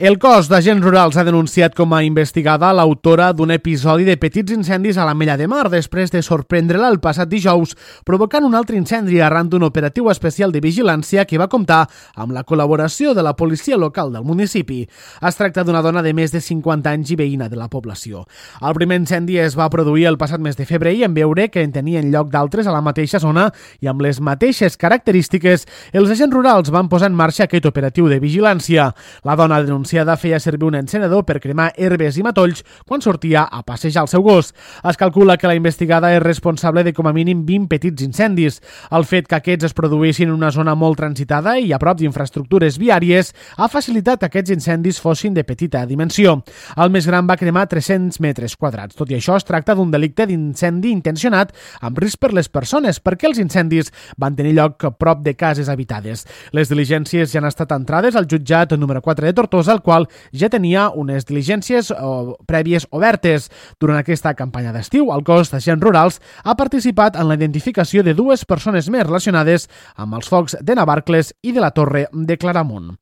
El cos d'agents rurals ha denunciat com a investigada l'autora d'un episodi de petits incendis a l'Ametlla de Mar després de sorprendre-la el passat dijous, provocant un altre incendi arran d'un operatiu especial de vigilància que va comptar amb la col·laboració de la policia local del municipi. Es tracta d'una dona de més de 50 anys i veïna de la població. El primer incendi es va produir el passat mes de febrer i en veure que en tenien lloc d'altres a la mateixa zona i amb les mateixes característiques, els agents rurals van posar en marxa aquest operatiu de vigilància. La dona denunciada feia servir un encenedor per cremar herbes i matolls quan sortia a passejar el seu gos. Es calcula que la investigada és responsable de com a mínim 20 petits incendis. El fet que aquests es produïssin en una zona molt transitada i a prop d'infraestructures viàries ha facilitat que aquests incendis fossin de petita dimensió. El més gran va cremar 300 metres quadrats. Tot i això, es tracta d'un delicte d'incendi intencionat amb risc per les persones, perquè els incendis van tenir lloc prop de cases habitades. Les diligències ja han estat entrades al jutjat número 4 de Tortosa, el qual ja tenia unes diligències prèvies obertes. Durant aquesta campanya d'estiu, el cos d'agents rurals ha participat en la identificació de 2 persones més relacionades amb els focs de Navarcles i de la Torre de Claramunt.